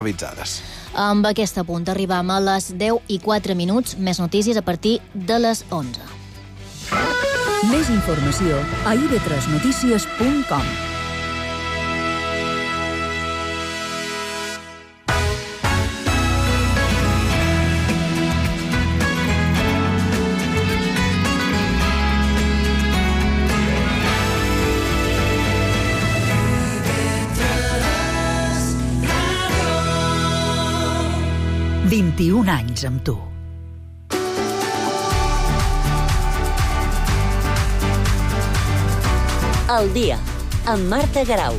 avisades. Amb aquest punt arribam a les 10:04, més notícies a partir de les 11. Més informació a ib3notícies.com. « 21 anys amb tu. El dia, amb Marta Garau.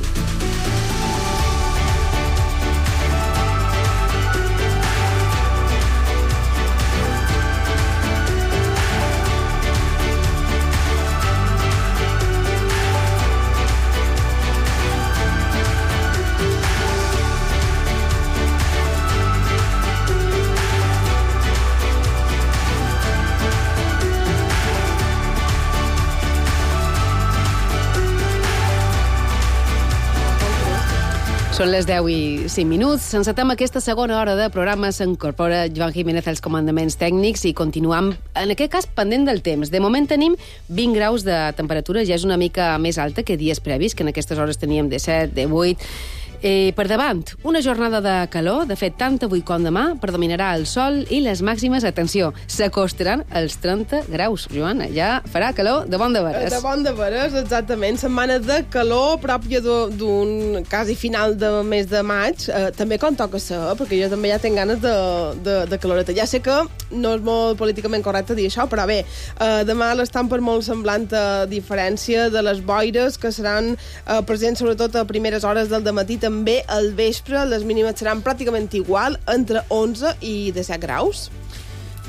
Són les 10:05. Encetem aquesta segona hora de programa. S'incorpora Joan Jiménez als comandaments tècnics i continuem, en aquest cas, pendent del temps. De moment tenim 20 graus de temperatura, ja és una mica més alta que dies previs, que en aquestes hores teníem de 7, de 8... Per davant, una jornada de calor, de fet, tant avui com demà, predominarà el sol i les màximes, atenció, s'acostaran als 30 graus. Joana, ja farà calor de bon de veres. De bon de veres, exactament. Setmana de calor pròpia d'un quasi final de mes de maig. També quan toca ser, perquè jo també ja tinc ganes de caloreta. Ja sé que no és molt políticament correcte dir això, però bé, demà l'estampa és molt semblant a diferència de les boires que seran presents sobretot a primeres hores del dematí. També al vespre les mínimes seran pràcticament igual, entre 11 i 17 graus.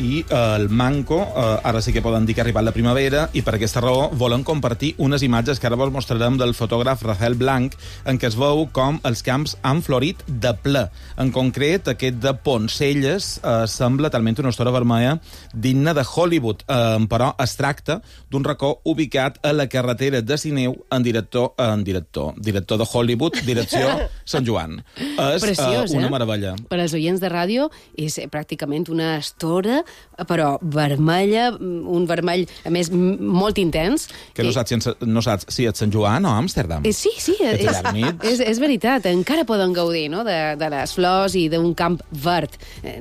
I el manco, ara sí que poden dir que ha arribat la primavera, i per aquesta raó volen compartir unes imatges que ara vos mostrarem del fotògraf Rafael Blanc, en què es veu com els camps han florit de ple. En concret, aquest de Poncelles sembla talment una història vermella digna de Hollywood, però es tracta d'un racó ubicat a la carretera de Sineu en director de Hollywood, direcció Sant Joan. És preciós, una meravella. Per als oients de ràdio és pràcticament una estora, però vermella, un vermell, a més, molt intens. Que no saps si és Sant Joan o Amsterdam. Sí, és veritat. Encara poden gaudir, no?, de les flors i d'un camp verd.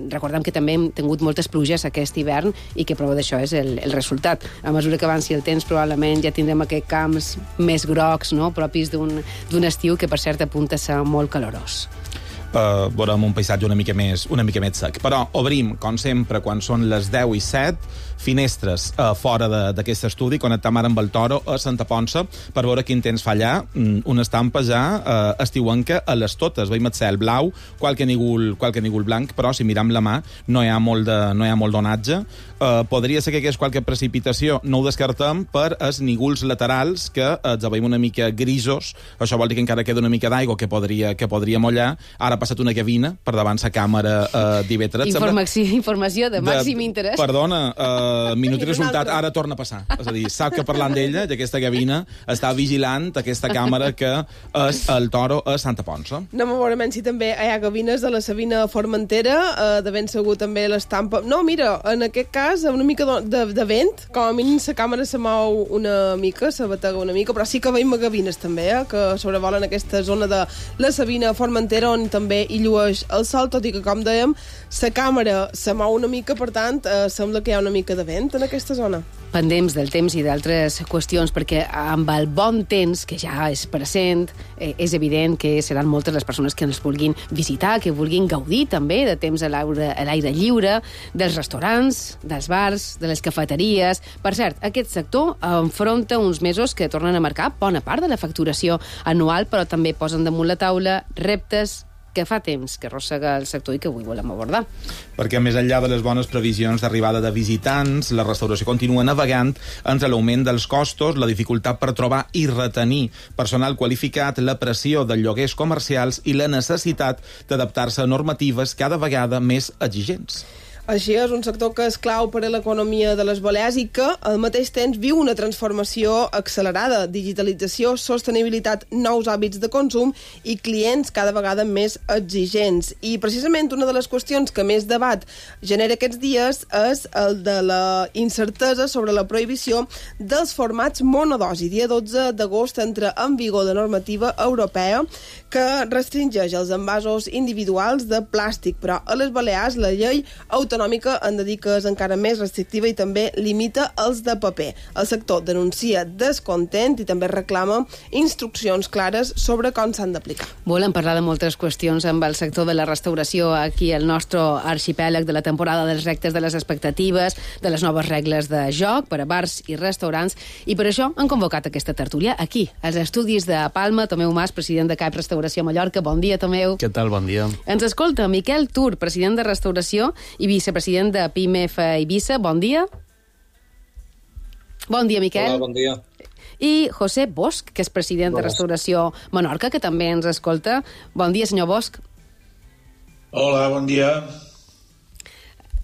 Recordem que també hem tingut moltes pluges aquest hivern i que prova d'això és el resultat. A mesura que avanci el temps, probablement ja tindrem aquests camps més grocs, no?, propis d'un estiu que, per cert, apunta a ser molt calorós. Veurem un paisatge una mica més sec. Però obrim, com sempre, quan són les 10:07, finestres fora d'aquest estudi, connectam ara amb el Toro a Santa Ponça per veure quin temps fa allà. Una estampa ja estiuenca a les totes. Veiem el cel blau, qualque nígol blanc, però si miram la mà no hi ha molt d'onatge. Podria ser que hi hagués qualque precipitació, no ho descartem, per els nígols laterals, que els veiem una mica grisos. Això vol dir que encara queda una mica d'aigua que podria mollar. Ara ha passat una gavina per davant la càmera d'IV3. Informació de màxim interès. Perdona, minut i resultat, ara torna a passar. És a dir, sap que parlant d'ella, d'aquesta gavina, està vigilant aquesta càmera que és el Toro a Santa Ponça. No me veurem si també hi ha gavines de la Sabina Formentera, de ben segur també l'estampa. No, mira, en aquest cas, una mica de vent, com a mínim la càmera se mou una mica, se batega una mica, però sí que veiem gavines també, que sobrevolen aquesta zona de la Sabina Formentera, on també hi llueix el sol, tot i que, com dèiem, la càmera se mou una mica, per tant, sembla que hi ha una mica de vent en aquesta zona. Pendents del temps i d'altres qüestions, perquè amb el bon temps, que ja és present, és evident que seran moltes les persones que ens vulguin visitar, que vulguin gaudir també de temps a l'aire lliure, dels restaurants, dels bars, de les cafeteries. Per cert, aquest sector enfronta uns mesos que tornen a marcar bona part de la facturació anual, però també posen damunt la taula reptes que fa temps que arrossega el sector i que avui volem abordar. Perquè més enllà de les bones previsions d'arribada de visitants, la restauració continua navegant entre l'augment dels costos, la dificultat per trobar i retenir personal qualificat, la pressió dels lloguers comercials i la necessitat d'adaptar-se a normatives cada vegada més exigents. Així és, un sector que és clau per a l'economia de les Balears i que al mateix temps viu una transformació accelerada, digitalització, sostenibilitat, nous hàbits de consum i clients cada vegada més exigents. I precisament una de les qüestions que més debat genera aquests dies és el de la incertesa sobre la prohibició dels formats monodosi. Dia 12 d'agost entra en vigor la normativa europea que restringeix els envasos individuals de plàstic, però a les Balears la llei autonòmica han de dir que és encara més restrictiva i també limita els de paper. El sector denuncia descontent i també reclama instruccions clares sobre com s'han d'aplicar. Volem parlar de moltes qüestions amb el sector de la restauració aquí al nostre arxipèlag, de la temporada dels reptes, de les expectatives, de les noves regles de joc per a bars i restaurants, i per això han convocat aquesta tertúlia aquí, als estudis de Palma. Tomeu Mas, president de CAIP Restauració Mallorca. Bon dia, Tomeu. Què tal? Bon dia. Ens escolta Miquel Tur, president de Restauració i vicepresident de PIMEF Eivissa. Bon dia. Bon dia, Miquel. Hola, bon dia. I José Bosch, que és president de Restauració Menorca, que també ens escolta. Bon dia, senyor Bosch. Hola, bon dia.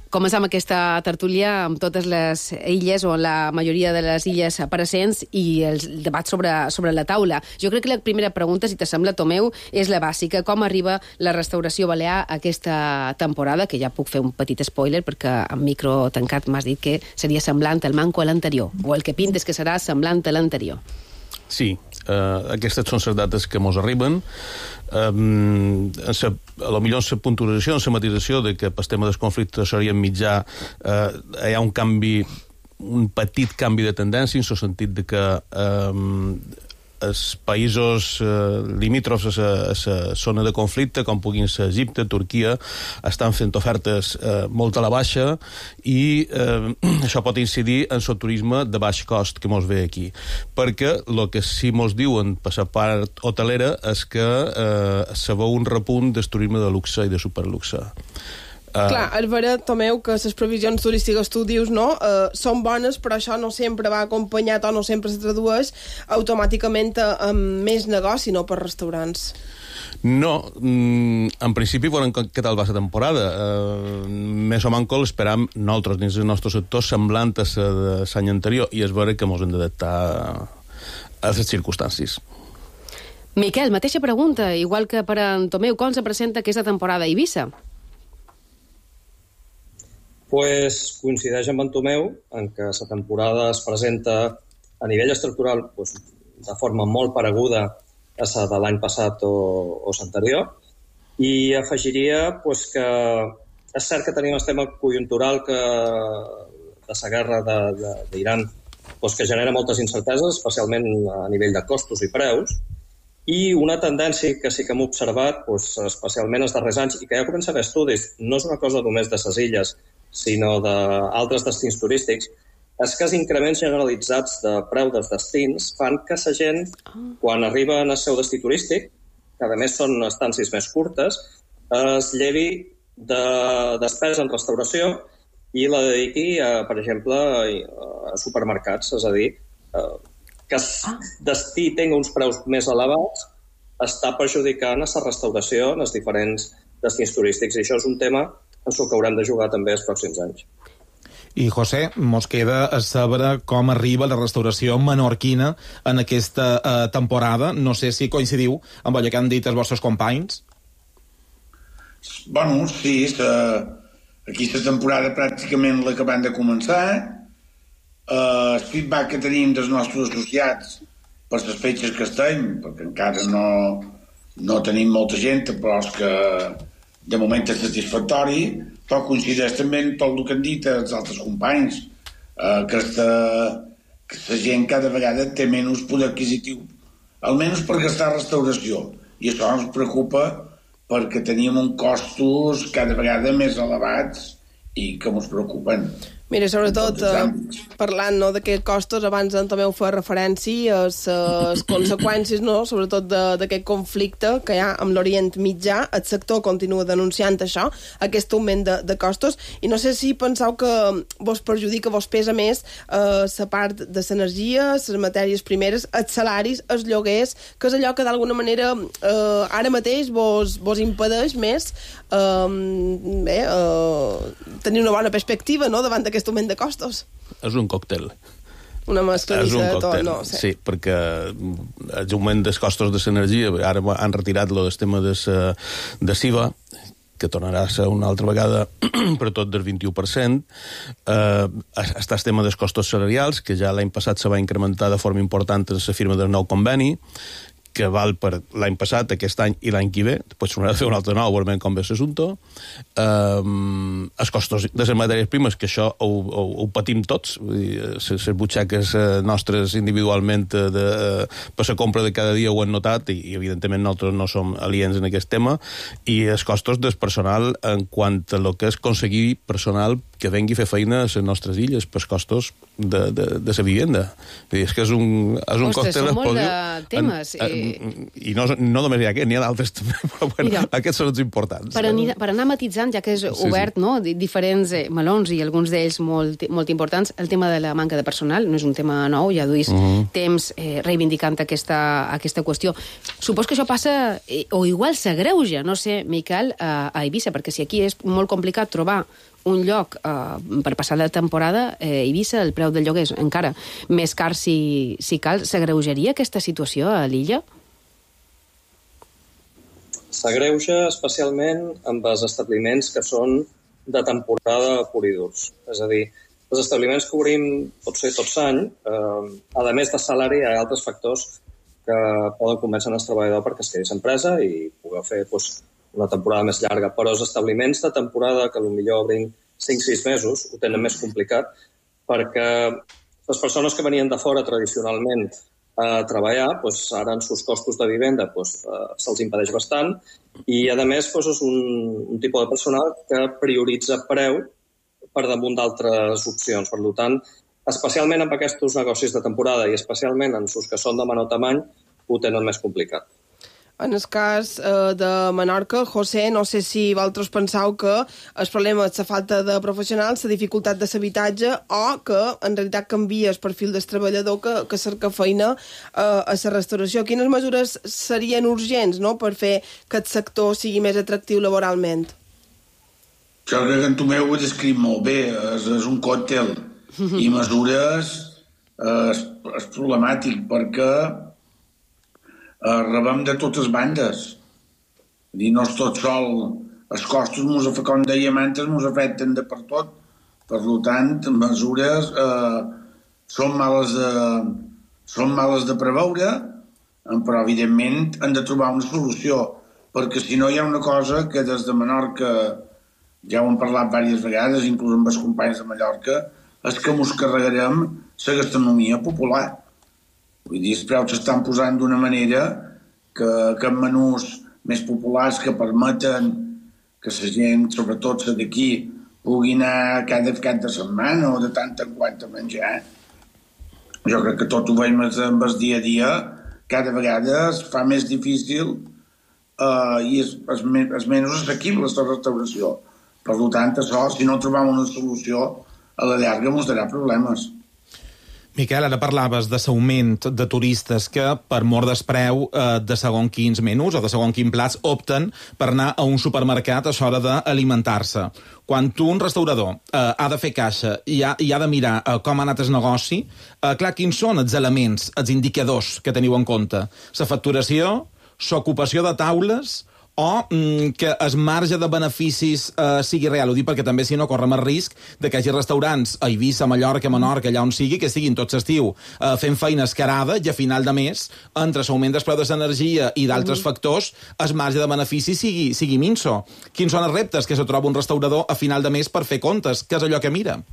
Comencem aquesta tertúlia amb totes les illes o la majoria de les illes presents i el debat sobre la taula. Jo crec que la primera pregunta, si t'assembla, Tomeu, és la bàsica. Com arriba la restauració balear aquesta temporada? Que ja puc fer un petit spoiler perquè amb micro tancat m'has dit que seria semblant al manco a l'anterior, o el que pintes que serà semblant a l'anterior. Sí, aquestes són les dates que mos arriben. A lo millor en la puntualització, en la matisació de que pel tema del conflicte seria mitjà, hi ha un petit canvi de tendència, en el sentit de que els països limítrofs a la zona de conflicte, com puguin ser Egipte, Turquia, estan fent ofertes molt a la baixa i això pot incidir en el turisme de baix cost que mos ve aquí. Perquè el que sí mos diuen per la part hotelera és que se veu un repunt del turisme de luxe i de superluxe. Clar, és veritat, Tomeu, que les previsions turístiques, tu dius, no? Són bones, però això no sempre va acompanyat o no sempre se tradueix automàticament amb més negoci, no, per restaurants. No, en principi veurem què tal va la temporada. Més o manco l'esperam nosaltres dins del nostre sector semblant a la de l'any anterior, i és vera que ens hem d'adaptar a les circumstàncies. Miquel, mateixa pregunta, igual que per a en Tomeu, com se presenta aquesta temporada a Eivissa? Pues coincideix amb en Tomeu en que la temporada es presenta a nivell estructural de forma molt pareguda a la de l'any passat o l'anterior, i afegiria que és cert que tenim el tema conjuntural de la guerra d'Iran que genera moltes incerteses, especialment a nivell de costos i preus, i una tendència que sí que hem observat, especialment els darrers anys, i que ja comença a haver estudis, no és una cosa només de les illes, sinó d'altres destins turístics, és que els increments generalitzats de preu dels destins fan que la gent, quan arriba al seu destí turístic, que a més són estàncies més curtes, es llevi de despesa en restauració i la dediqui, per exemple, a supermercats. És a dir, que el destí tingui uns preus més elevats està perjudicant a la restauració en els diferents destins turístics. I això és un tema en el que haurem de jugar també els pròxims anys. I, José, mos queda a saber com arriba la restauració menorquina en aquesta temporada. No sé si coincidiu amb allò que han dit els vostres companys. Bueno, sí, aquí la temporada pràcticament l'acabem de començar. El feedback que tenim dels nostres associats per les fetges que estem, perquè encara no tenim molta gent, però és que de moment és satisfactori, però coincideix també amb tot el que han dit els altres companys, que la gent cada vegada té menys poder adquisitiu, almenys per gastar restauració, i això ens preocupa perquè teníem uns costos cada vegada més elevats i que ens preocupen. Mira, sobretot, parlant d'aquests costos, abans en Tomeu fa referència a les conseqüències, sobretot d'aquest conflicte que hi ha amb l'Orient Mitjà. El sector continua denunciant això, aquest augment de costos, i no sé si penseu que vos perjudica, vos pesa més la part de l'energia, les matèries primeres, els salaris, els lloguers, que és allò que d'alguna manera ara mateix vos impedeix més tenir una bona perspectiva, no?, davant d'aquest augment de costos. És un còctel. Una mescladissa de tot, no? Sí, perquè l'augment dels costos de l'energia, ara han retirat el tema de SIVA, que tornarà a ser una altra vegada per tot del 21%. Està el tema dels costos salarials, que ja l'any passat se va incrementar de forma important en la firma del nou conveni, que val per l'any passat, aquest any i l'any que ve, pues s'haurà de fer un altre nou, veurem com ve l'assumpte. Els costos de les matèries primes, que això ho patim tots, les butxaques nostres individualment per la compra de cada dia ho han notat, i evidentment nosaltres no som aliens en aquest tema, i els costos del personal en quant a lo que és aconseguir personal que vengui a fer feina a les nostres illes, pels costos de la vivenda. És que és un còctel... Són molt de temes. I no només hi ha aquest, n'hi ha d'altres també, però bueno, mira, aquests són els importants. Per anar matitzant, ja que és obert, no?, diferents melons i alguns d'ells molt importants, el tema de la manca de personal no és un tema nou, ja duis temps reivindicant aquesta qüestió. Supos que això passa, o igual s'agreuja, no sé, Miquel, a Eivissa, perquè si aquí és molt complicat trobar un lloc per passar la temporada, Eivissa, el preu del lloguer és encara més car si cal. S'agreujaria aquesta situació a l'illa? S'agreuja especialment amb els establiments que són de temporada pur i durs. És a dir, els establiments que obrim pot ser tot l'any, a més de salari hi ha altres factors que poden convèncer el treballador perquè es quedi l'empresa i pugui fer una temporada més llarga, però els establiments de temporada que potser obrin 5-6 mesos ho tenen més complicat perquè les persones que venien de fora tradicionalment a treballar, ara en sus costos de vivenda se'ls impedeix bastant i, a més, és un tipus de personal que prioritza preu per damunt d'altres opcions. Per tant, especialment amb aquests negocis de temporada i especialment en sus que són de menor tamany, ho tenen més complicat. En el cas de Menorca, José, no sé si vosaltres penseu que el problema és la falta de professionals, la dificultat de l'habitatge o que en realitat canvia el perfil del treballador que cerca feina a la restauració. Quines mesures serien urgents, no?, per fer que el sector sigui més atractiu laboralment? Jo crec que en Tomeu ho ha descrit molt bé. És un còctel i mesures és problemàtic perquè rebem de totes bandes. No és tot sol. Els costos, com dèiem antes, ens afecten de per tot. Per tant, mesures són males de preveure, però evidentment han de trobar una solució, perquè si no hi ha una cosa que des de Menorca, ja ho hem parlat diverses vegades, inclús amb els companys de Mallorca, és que ens carregarem la gastronomia popular. Vull dir, els preus s'estan posant d'una manera que en menús més populars que permeten que la gent, sobretot la d'aquí, pugui anar cada cap de setmana o de tant en quant a menjar. Jo crec que tot ho veiem amb el dia a dia, cada vegada es fa més difícil i és menys assequible la restauració. Per tant, això, si no trobem una solució, a la llarga ens darà problemes. Miquel, ara parlaves de l'augment de turistes que, per mort del preu de segons quins menús o de segons quins plats, opten per anar a un supermercat a l'hora d'alimentar-se. Quan un restaurador ha de fer caixa i ha de mirar com ha anat el negoci, clar, quins són els elements, els indicadors que teniu en compte? La facturació, l'ocupació de taules o que el marge de beneficis sigui real. Ho dic perquè també, si no, correm el risc de que hi hagi restaurants a Eivissa, a Mallorca, a Menorca, allà on sigui, que estiguin tots estiu fent feina escarada i a final de mes, entre l'augment del preu de l'energia i d'altres factors, el marge de benefici sigui minso. Quins són els reptes que se troba un restaurador a final de mes per fer comptes? Què és allò que mira?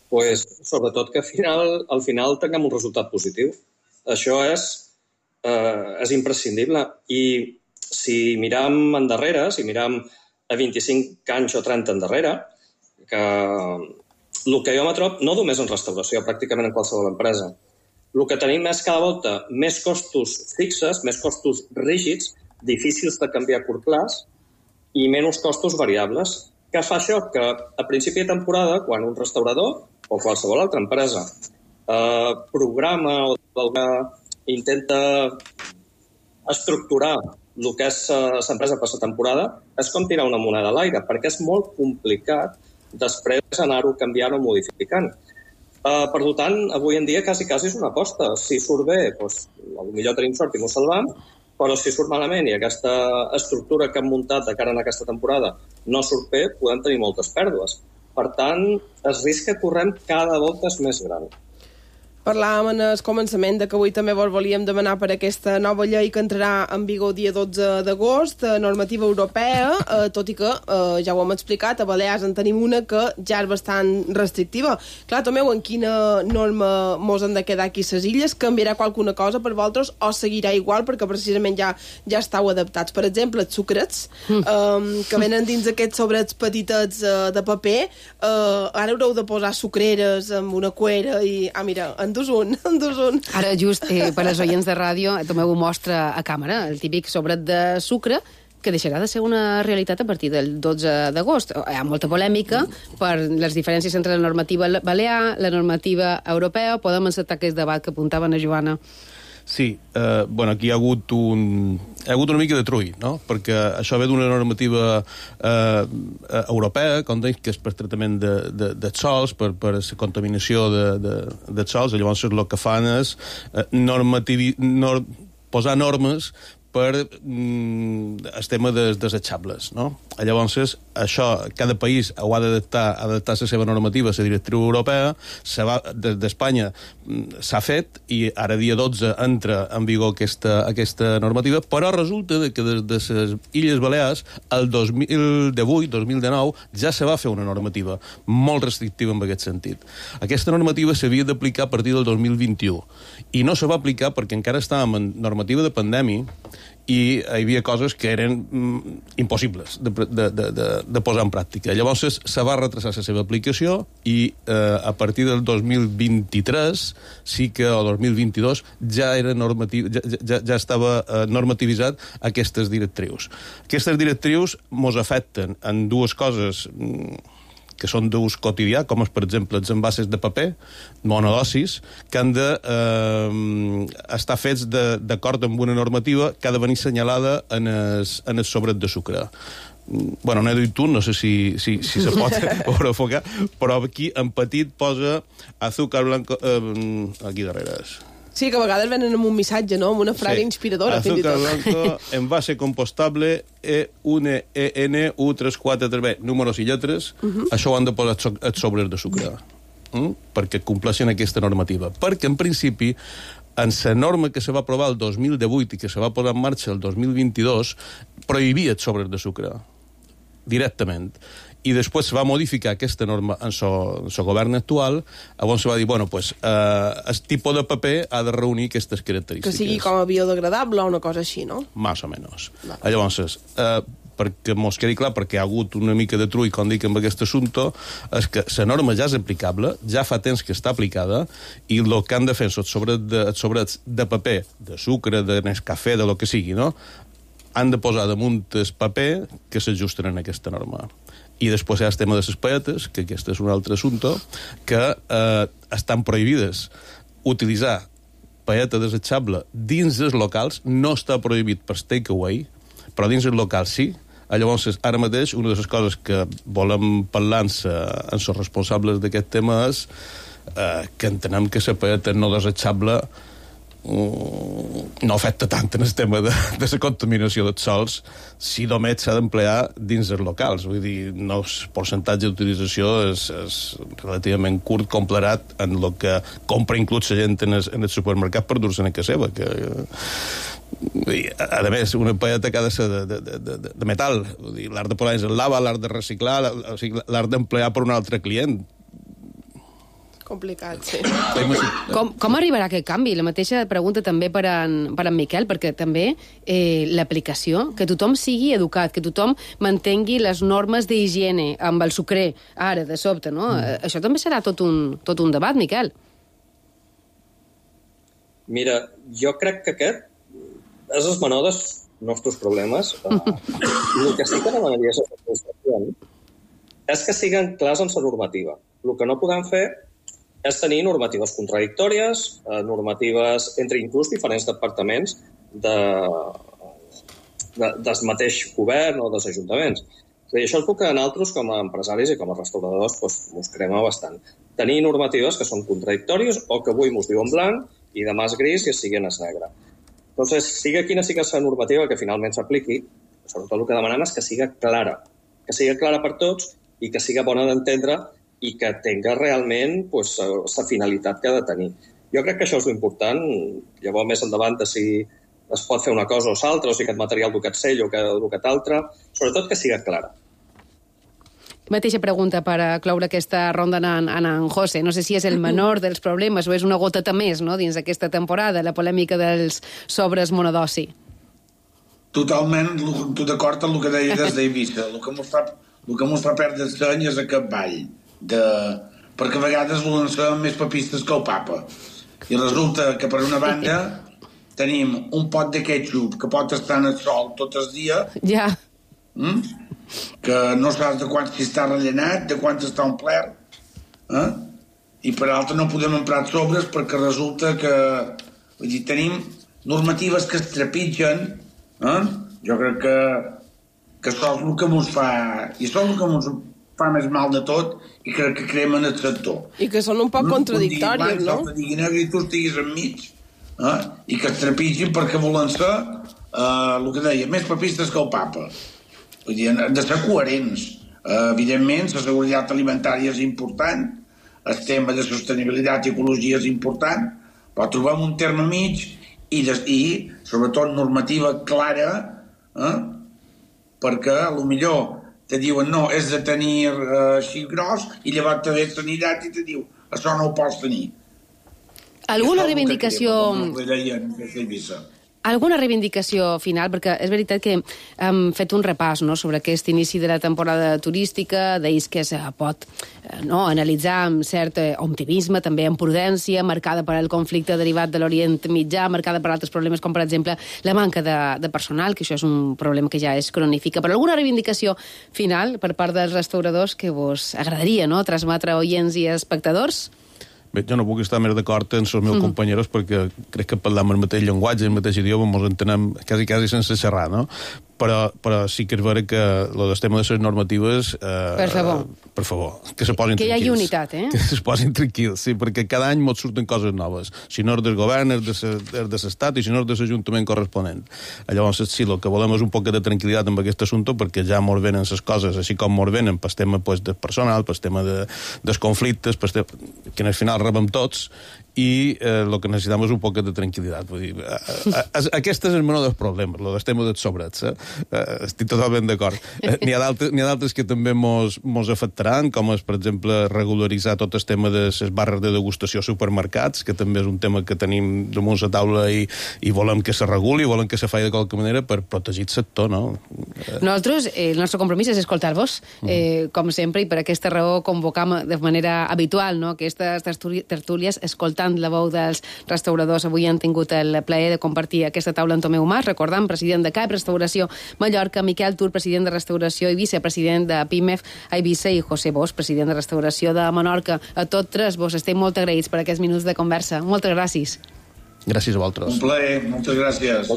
Sobretot que al final tinguem un resultat positiu. Això és imprescindible. I si miram endarrere, si miram a 25 anys o 30 endarrere, que el que jo me trobo, no només en restauració, pràcticament en qualsevol empresa, el que tenim és cada volta més costos fixes, més costos rígids, difícils de canviar a curt plaç i menys costos variables. Què fa això? Que a principi de temporada, quan un restaurador o qualsevol altra empresa programa o intenta estructurar el que és l'empresa per la temporada, és com tirar una moneda a l'aire, perquè és molt complicat després anar-ho canviant o modificant. Per tant, avui en dia quasi és una aposta. Si surt bé, potser tenim sort i m'ho salvam, però si surt malament i aquesta estructura que hem muntat de cara a aquesta temporada no surt bé, podem tenir moltes pèrdues. Per tant, el risc que correm cada volta és més gran. Parlàvem en el començament que avui també vos volíem demanar per aquesta nova llei que entrarà en vigor el dia 12 d'agost, normativa europea, tot i que, ja ho hem explicat, a Balears en tenim una que ja és bastant restrictiva. Clar, Tomeu, en quina norma mos han de quedar aquí les illes? Canviarà qualsuna cosa per vosaltres o seguirà igual perquè precisament ja estàu adaptats? Per exemple, els sucrets, que venen dins aquests sobrets petitets de paper, ara haureu de posar sucreres amb una cuera i... mira, endús un. Ara, just per als oients de ràdio, Tomeu ho mostra a càmera, el típic sobret de sucre, que deixarà de ser una realitat a partir del 12 d'agost. Hi ha molta polèmica per les diferències entre la normativa balear, la normativa europea. Podem encetar aquest debat que apuntava a Joana. Sí, aquí hi ha hagut una mica de trull, no? Perquè això ve d'una normativa europea, com dic, que és per tractament dels sols, per la contaminació dels sols, llavors el que fan és posar normes per el tema dels desechables, no? Llavors, això, cada país ho ha d'adaptar la seva normativa a la directriu europea, d'Espanya s'ha fet, i ara dia 12 entra en vigor aquesta normativa, però resulta que des de les Illes Balears, el 2018-2019, ja se va fer una normativa molt restrictiva en aquest sentit. Aquesta normativa s'havia d'aplicar a partir del 2021, i no se va aplicar perquè encara estàvem en normativa de pandèmia, i hi havia coses que eren impossibles de posar en pràctica. Llavors se va retrasar la seva aplicació i a partir del 2023 sí que, o 2022, ja estava normativitzat aquestes directrius. Aquestes directrius mos afecten en dues coses que són d'ús quotidià, com per exemple els envasos de paper, monodosis, que han d'estar fets d'acord amb una normativa que ha de venir assenyalada en el sobret de sucre. Bueno, n'he dit tu, no sé si se pot enfocar, però aquí en petit posa azúcar blanco... aquí darrere és... Sí, que a vegades venen amb un missatge, no? Amb una frase inspiradora, fins i tot. Azúcar blanco, envase compostable, E1ENU343B, números i lletres, això ho han de posar els sobres de sucre, perquè compleixen aquesta normativa. Perquè, en principi, en la norma que se va aprovar el 2018 i que se va posar en marxa el 2022, prohibia els sobres de sucre, directament. I després se va modificar aquesta norma en el govern actual, llavors se va dir, el tipus de paper ha de reunir aquestes característiques. Que sigui com a biodegradable o una cosa així, no? Más o menos. Llavors, perquè mos quedi clar, perquè hi ha hagut una mica de trull, com dic, amb aquest assumpte, és que la norma ja és aplicable, ja fa temps que està aplicada, i el que han de fer els sobrets de paper, de sucre, de Nescafé, de lo que sigui, no?, han de posar damunt el paper que s'ajusten en aquesta norma. I després hi ha el tema de les paetes, que aquest és un altre assumpte, que estan prohibides utilitzar paeta desechable dins els locals, no està prohibit per takeaway, però dins els locals sí. Llavors, ara mateix, una de les coses que volem parlar amb els responsables d'aquest tema és que entenem que la paeta no desechable no afecta tant en el tema de la contaminació dels sols si només s'ha d'emplear dins els locals. Vull dir, el percentatge d'utilització és relativament curt comparat en el que compra inclús la gent en el supermercat per dur-se'n a casa seva. A més, una paeta que ha de ser de metal. L'art de posar en el lava, l'art de reciclar, l'art d'emplear per un altre client. Complicat, sí. Com arribarà aquest canvi? La mateixa pregunta també per en Miquel, perquè també l'aplicació, que tothom sigui educat, que tothom mantengui les normes d'higiene amb el sucrer, ara, de sobte, no? Això també serà tot un debat, Miquel. Mira, jo crec que aquest és el menor dels nostres problemes. El que sí que demanaria és que siguin clars en la normativa. El que no podem fer és tenir normatives contradictòries, normatives entre inclús diferents departaments del mateix govern o dels ajuntaments. I això és el que nosaltres, com a empresaris i com a restauradors, ens crema bastant. Tenir normatives que són contradictòries o que avui ens diuen blanc i demà és gris i sigui en negre. Entonces, sigui quina sigui la normativa que finalment s'apliqui, sobretot el que demanem és que sigui clara per tots i que sigui bona d'entendre i que tinga realment la finalitat que ha de tenir. Jo crec que això és l'important. Llavors, més endavant, si es pot fer una cosa o l'altra, o si aquest material du aquest sell o aquest altre, sobretot que sigui clara. Mateixa pregunta per cloure aquesta ronda en José. No sé si és el menor dels problemes o és una goteta més, no?, dins aquesta temporada, la polèmica dels sobres monodosi. Totalment, tu d'acord amb el que deia des d'Eivissa. El que mos fa perdre el seny és aquest ball. Perquè a vegades lancem més papistes que el papa. I resulta que, per una banda, tenim un pot de ketchup que pot estar en el sol tot el dia, que no saps de quant si està rellenat, de quant està omplert, i per altra no podem emprar sobres perquè resulta que tenim normatives que es trepitgen. Jo crec que això és el que ens fa, i això és el que ens fa més mal de tot, i crec que cremen el sector. I que són un poc contradictòries, no? Que diguin negre i tu estiguis enmig, i que es trepitgin perquè volen ser, el que deia, més papistes que el papa. Vull dir, han de ser coherents. Evidentment, la seguretat alimentària és important, el tema de sostenibilitat i ecologia és important, però trobem un terme mig i sobretot normativa clara, perquè potser te diuen no, és de tenir així gros, i llavors te ve sanitat i te diu això no ho pots tenir. Alguna reivindicació... Alguna reivindicació final? Perquè és veritat que hem fet un repàs, no?, sobre aquest inici de la temporada turística, d'ells que se pot analitzar amb cert optimisme, també amb prudència, marcada per el conflicte derivat de l'Orient Mitjà, marcada per altres problemes com, per exemple, la manca de personal, que això és un problema que ja es cronifica. Però alguna reivindicació final per part dels restauradors que vos agradaria, no?, transmetre a oients i espectadors? Bé, jo no puc estar més d'acord amb els meus companys perquè crec que parlam el mateix llenguatge, el mateix idioma, ens entenem quasi sense xerrar, no? Però sí que és vera que el tema de les normatives... Per favor, que se posin tranquils. Que hi hagi unitat, Que se posin tranquils, sí, perquè cada any ens surten coses noves. Si no és del govern, és de l'Estat, i si no és de l'Ajuntament corresponent. Llavors, sí, el que volem és un poc de tranquil·litat amb aquest assumpte, perquè ja mos venen les coses, així com mos venen pel tema del personal, pel tema dels conflictes, que al final rebem tots, i el que necessitem és un poc de tranquil·litat. Vull dir, aquest és el menor dels problemes, el del tema dels sobrets. Estic totalment d'acord. N'hi ha d'altres que també mos afectaran, com és, per exemple, regularitzar tot el tema de les barres de degustació a supermercats, que també és un tema que tenim damunt la taula i volem que se reguli, volem que se faci de qualque manera per protegir el sector, no? Nosaltres, el nostre compromís és escoltar-vos, com sempre, i per aquesta raó convocam de manera habitual, no?, aquestes tertúlies, escoltant la veu dels restauradors. Avui han tingut el plaer de compartir aquesta taula amb Tomeu Mas, recordant, president de CAEP Restauració Mallorca, Miquel Tur, president de Restauració i vicepresident de PIMEF a Eivissa, i José Bosch, president de Restauració de Menorca. A tots tres vos estem molt agraïts per aquests minuts de conversa. Moltes gràcies. Gràcies a vosaltres. Un plaer, moltes gràcies.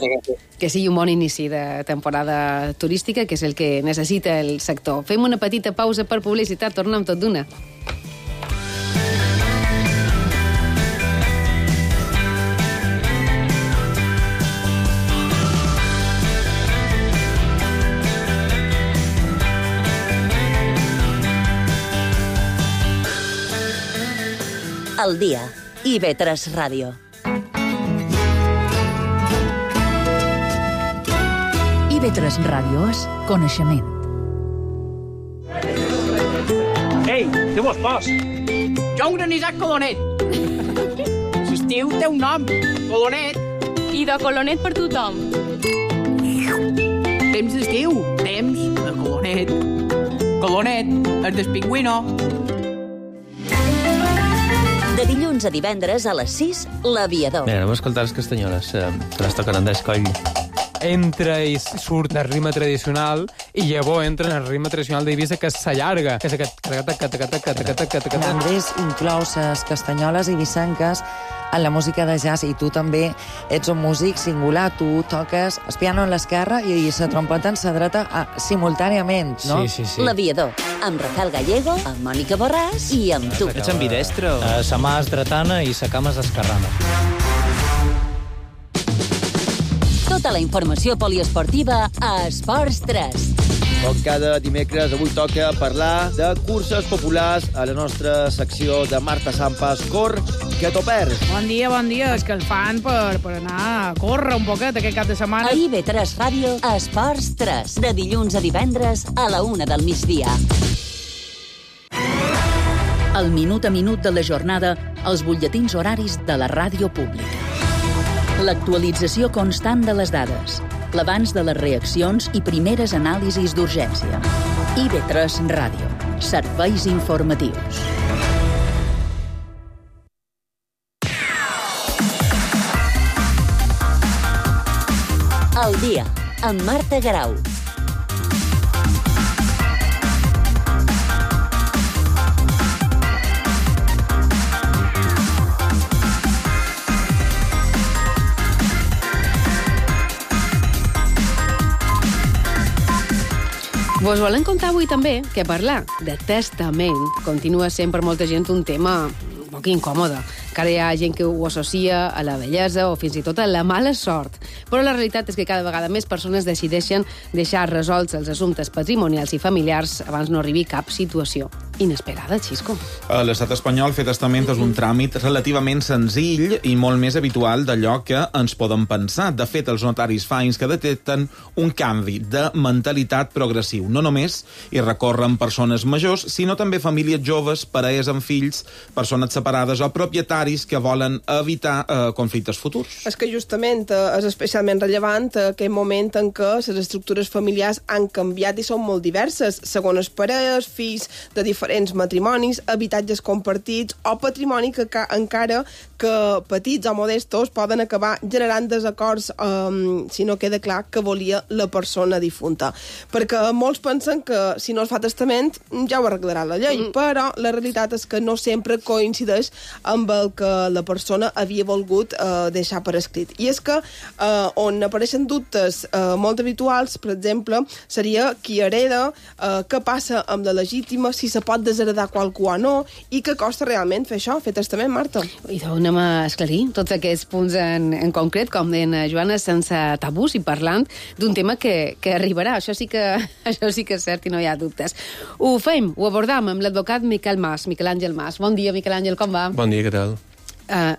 Que sigui un bon inici de temporada turística, que és el que necessita el sector. Fem una petita pausa per publicitat, tornem tot d'una. Al dia. IB3 Ràdio. IB3 Ràdio és coneixement. Ei, què vos fas? Jo, un anisat colonet. L'estiu té un nom, colonet. I de colonet per tothom. Temps d'estiu, temps de colonet. Colonet, el del pingüino. De dilluns a divendres a les 6, L'Aviador. Mira, anem a escoltar les castanyoles, que les toquen Andrés Coll. Entra i surt el ritme tradicional i llavors entra en el ritme tradicional d'Eivissa, que s'allarga. Andrés inclou les castanyoles eivissenques en la música de jazz, i tu també ets un músic singular. Tu toques el piano en l'esquerra i la trompeta en la dreta simultàniament, no? Sí. L'Aviador, amb Rafael Gallego, amb Mònica Borràs i amb tu. Ets ambidestre? Sa mà és dretana i sa cama és esquerrana. Tota la informació poliesportiva a Esports 3. Com cada dimecres, avui toca parlar de curses populars a la nostra secció de Marta Sampas. Cor, que t'ho perds. Bon dia. És que el fan per anar a córrer un poquet aquest cap de setmana. A IB3 Ràdio, Esports 3. De dilluns a divendres a la 1 del migdia. El minut a minut de la jornada als butlletins horaris de la ràdio pública. L'actualització constant de les dades, l'abans de les reaccions i primeres anàlisis d'urgència. IB3 Ràdio. Serveis informatius. El dia, amb Marta Garau. Vos volem contar avui també que parlar de testament continua sent per molta gent un tema un poc incòmode. Encara hi ha gent que ho associa a la bellesa o fins i tot a la mala sort. Però la realitat és que cada vegada més persones decideixen deixar resolts els assumptes patrimonials i familiars abans no arribi cap situació inesperada, Xisco. A l'estat espanyol, fer testament és un tràmit relativament senzill i molt més habitual d'allò que ens podem pensar. De fet, els notaris fa anys que detecten un canvi de mentalitat progressiu. No només hi recorren persones majors, sinó també famílies joves, parelles amb fills, persones separades o propietaris que volen evitar conflictes futurs. És que justament és especialment rellevant aquell moment en què les estructures familiars han canviat i són molt diverses, segons les parelles, fills de diferents matrimonis, habitatges compartits o patrimoni que encara que petits o modestos poden acabar generant desacords si no queda clar que volia la persona difunta. Perquè molts pensen que si no es fa testament ja ho arreglarà la llei, però la realitat és que no sempre coincideix amb el que la persona havia volgut deixar per escrit. I és que on apareixen dubtes molt habituals, per exemple, seria qui hereda, què passa amb la legítima, si se pot desheredar qualcú o no, i què costa realment fer això, fer testament, Marta? I anem a esclarir tots aquests punts en concret, com deien Joana, sense tabús i parlant d'un tema que arribarà. Això sí que és cert i no hi ha dubtes. Ho fem, ho abordam amb l'advocat Miquel Àngel Mas. Bon dia, Miquel Àngel, com va? Bon dia, què tal?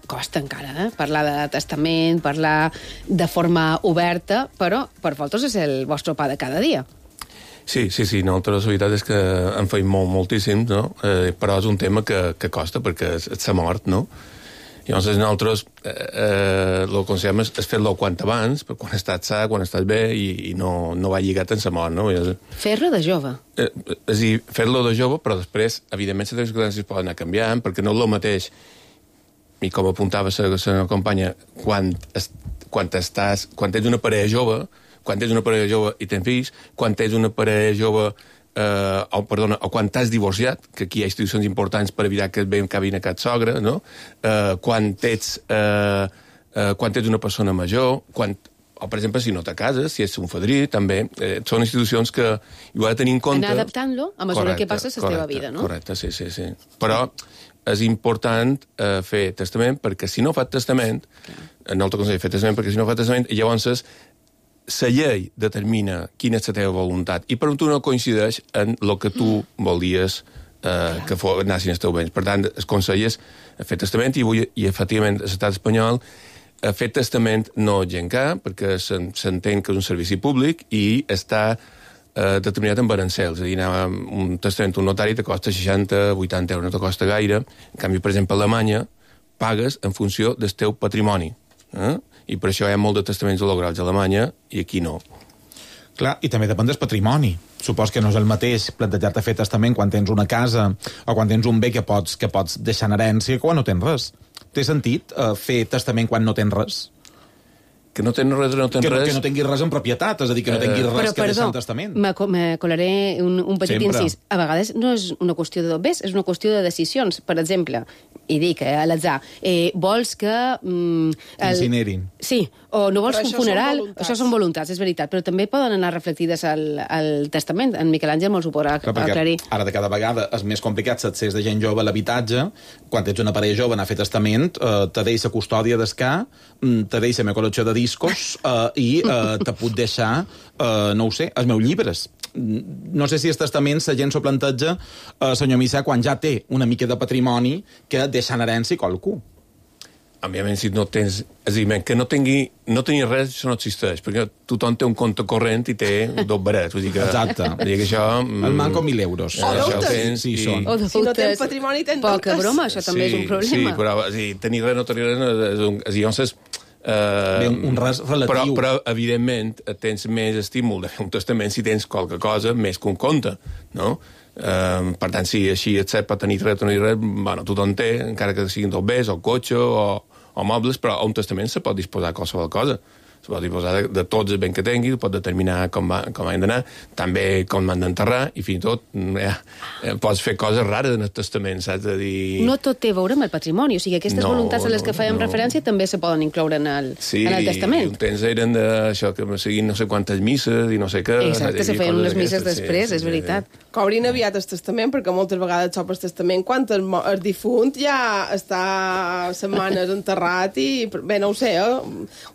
Costa encara, parlar de testament, parlar de forma oberta, però per vosaltres és el vostre pa de cada dia. Sí, nosaltres la veritat és que en feim moltíssim, no? Però és un tema que costa, perquè s'ha mort, no? Llavors nosaltres el que aconsellem és fer-lo quant abans, quan estàs sa, quan estàs bé, i no va lligat en la mort, no? Fer-lo de jove. És a dir, fer-lo de jove, però després, evidentment, les circumstàncies poden anar canviant, perquè no és el mateix, i com apuntava la companya, quan ets una parella jove, quan tens una parella jove i tens fills, quan tens una parella jove o quan t'has divorciat, que aquí hi ha institucions importants per evitar que et veiem cabin a cap sogre, no? Quan ets una persona major, o, per exemple, si no te cases, si ets un fadrí, també. Són institucions que ho ha de tenir en compte. Anar adaptant-lo a mesura que passa la teva vida, no? Correcte, sí. Però és important fer testament, perquè si no fa testament, no el consell fer testament, perquè si no fa testament, llavors la llei determina quina és la teva voluntat i per tu no coincideix en el que tu volies que anessin els teus béns. Per tant, el consell és fer testament i efectivament l'estat espanyol fer testament no gencar perquè s'entén que és un servici públic i està determinat amb arancels. És a dir, anar un testament un notari te costa 60-80 euros, no te costa gaire. En canvi, per exemple, a Alemanya pagues en funció del teu patrimoni. I per això hi ha molt de testaments lograls a Alemanya i aquí no. Clar, i també depèn del patrimoni. Supos que no és el mateix plantejar-te fer testament quan tens una casa o quan tens un bé que pots deixar en herència que quan no tens res. Té sentit fer testament quan no tens res? Que no tens res, no tens res... Que no tinguis res en propietat, és a dir, que no tinguis res que deixar en testament. Me colaré un petit incís. A vegades no és una qüestió de dobbers, és una qüestió de decisions. Per exemple, i dic a l'atzar, vols que... Incinerin. Sí, o no vols un funeral... Això són voluntats, és veritat, però també poden anar reflectides al testament. En Miquel Àngel me'ls ho podrà aclarir. Ara de cada vegada és més complicat l'accés de gent jove a l'habitatge. Quan ets una parella jove anar a fer testament, te deixa custòdia d'escar, te deixa la col·lecció de discos i te puc deixar, no ho sé, els meus llibres. No sé si el testament la gent s'ho planteja, senyor Missa, quan ja té una mica de patrimoni que deixa en herència qualcú. Òbviament, si no tens... És a dir, que no tingui res, això no existeix, perquè tothom té un compte corrent i té dos barets. Vull dir que... Exacte. Vull dir que això... El manco 1.000 euros. O deutes. Sí, són. O deutes. Si no tens patrimoni, tens deutes. Poca broma, això també és un problema. Sí, però tenir res, no tenir res... Llavors, un res relatiu. Però, evidentment, tens més estímul de fer un testament si tens qualque cosa més que un compte, no? Per tant, si així et set per tenir res, bueno, tothom té, encara que siguin dos bés, o cotxe, o mobles, però a un testament se pot disposar de qualsevol cosa. Se pot disposar de tots els béns que tingui, pot determinar com han d'anar, també com han d'enterrar, i fins i tot pots fer coses rares en el testament, saps? De dir... No tot té a veure amb el patrimoni, o sigui, aquestes voluntats a les que fèiem referència també se poden incloure en el testament. Sí, un temps eren d'això, que seguint no sé quantes misses i no sé què... Exacte, se feien unes misses després, és veritat. Cobrin aviat el testament, perquè moltes vegades sopes testament quan el difunt ja està setmanes enterrat i... Bé, no ho sé,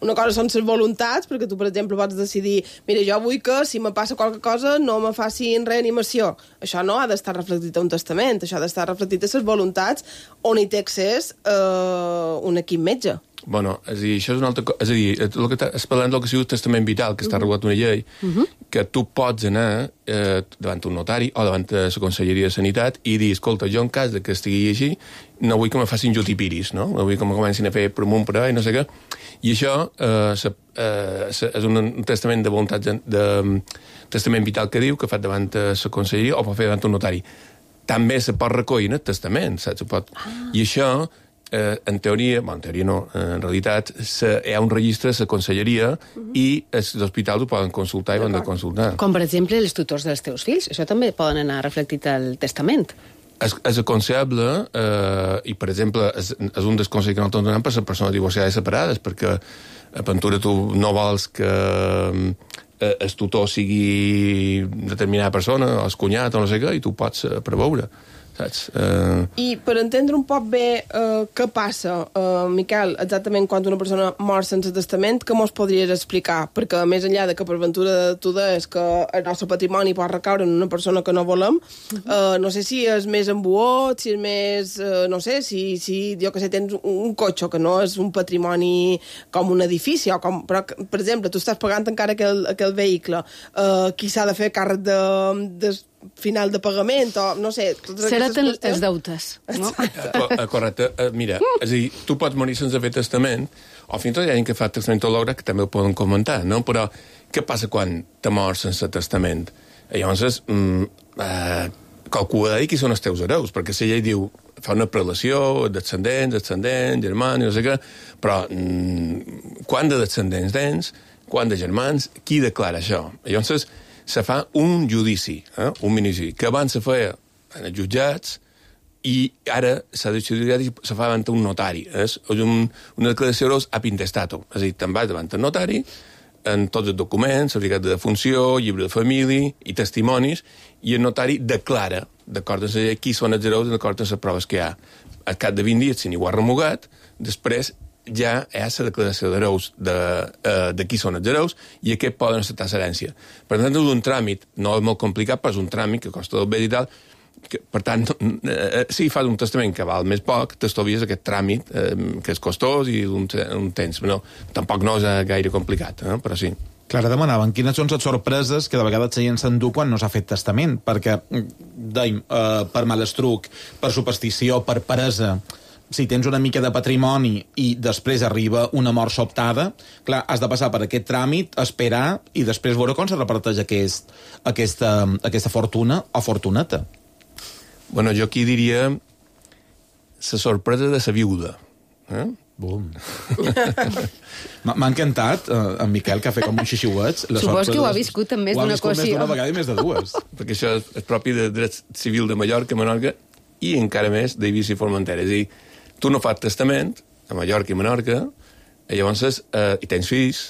una cosa són les voluntats, perquè tu, per exemple, pots decidir mira, jo vull que, si me passa qualque cosa, no me facin reanimació. Això no ha d'estar reflectit a un testament, això ha d'estar reflectit a les voluntats on hi té accés un equip metge. Bueno, és a dir, això és una altra cosa. És a dir, el que es parlant del que sigui el testament vital, que està regulat una llei, que tu pots anar davant un notari o davant de la Conselleria de Sanitat i dir, escolta, jo en cas de que estigui així, no vull que me facin jotipiris, no? No vull que me comencin a fer per amunt, per avall, no sé què. I això és un testament de voluntat de testament vital que diu, que fa davant de la Conselleria o pot fer davant un notari. També se pot recollir en el testament, saps? I això... en teoria no, en realitat hi ha un registre a la conselleria i els hospitals ho poden consultar i ho han de consultar. Com per exemple els tutors dels teus fills, això també poden anar reflectit al testament. És aconsellable i per exemple és un dels consells que nosaltres donem per les persones divorciades i separades, perquè a Ventura tu no vols que el tutor sigui determinada persona o el cunyat o no sé què i tu pots preveure. Saps? I per entendre un poc bé què passa, Miquel, exactament quan una persona mor sense testament, què mos podries explicar? Perquè més enllà de que per ventura tu deies que el nostre patrimoni pot recaure en una persona que no volem, no sé si és més embuot, si és més... no sé, si jo que sé, tens un cotxe que no és un patrimoni com un edifici, o com, però, per exemple, tu estàs pagant encara aquell vehicle, qui s'ha de fer càrrec de final de pagament, o no sé... Seran els deutes, no? Correcte. Mira, és a dir, tu pots morir sense fer testament, o fins i tot hi ha gent que fa testament lograt, que també ho poden comentar, no? Però què passa quan te mors sense testament? Llavors, calcula qui són els teus hereus, perquè si ella diu, fa una prelació, descendents, germans, no sé què, però quant de descendents tens, quant de germans, qui declara això? Llavors, se fa un judici, un minijudici, que abans se feia en els jutjats i ara s'ha decidiat i se fa davant un notari. És una declaració d'hereus ab intestato. És a dir, te'n vas davant el notari en tots els documents, certificat de defunció, llibre de família i testimonis, i el notari declara, d'acord amb la llei, qui són els hereus d'acord amb les proves que hi ha. Al cap de 20 dies, si ningú ha remugat, després ja hi ha la declaració d'hereus de qui són els hereus i aquest poden acceptar l'herència. Per tant, és un tràmit, no és molt complicat, però és un tràmit que costa del bé i tal, que, per tant, si fas un testament que val més poc, t'estovies aquest tràmit que és costós i un temps. No, tampoc no és gaire complicat, però sí. Clara, demanaven quines són les sorpreses que de vegades la gent s'endú quan no s'ha fet testament, perquè, dèiem, per malastruc, per superstició, per peresa, si tens una mica de patrimoni i després arriba una mort sobtada, clar, has de passar per aquest tràmit, esperar i després veure com se reparteix aquesta fortuna o fortuneta. Bueno, jo aquí diria la sorpresa de la viuda. Bum. M'ha encantat, en Miquel, que ha fet com un xixiuet. Supos que ho ha viscut en més d'una ocasió. Ho ha viscut més d'una vegada i més de dues. Perquè això és propi de dret civil de Mallorca, Menorca, i encara més d'Eivissa i Formentera. És a dir, tu no fas testament a Mallorca i Menorca, i llavors hi tens fills,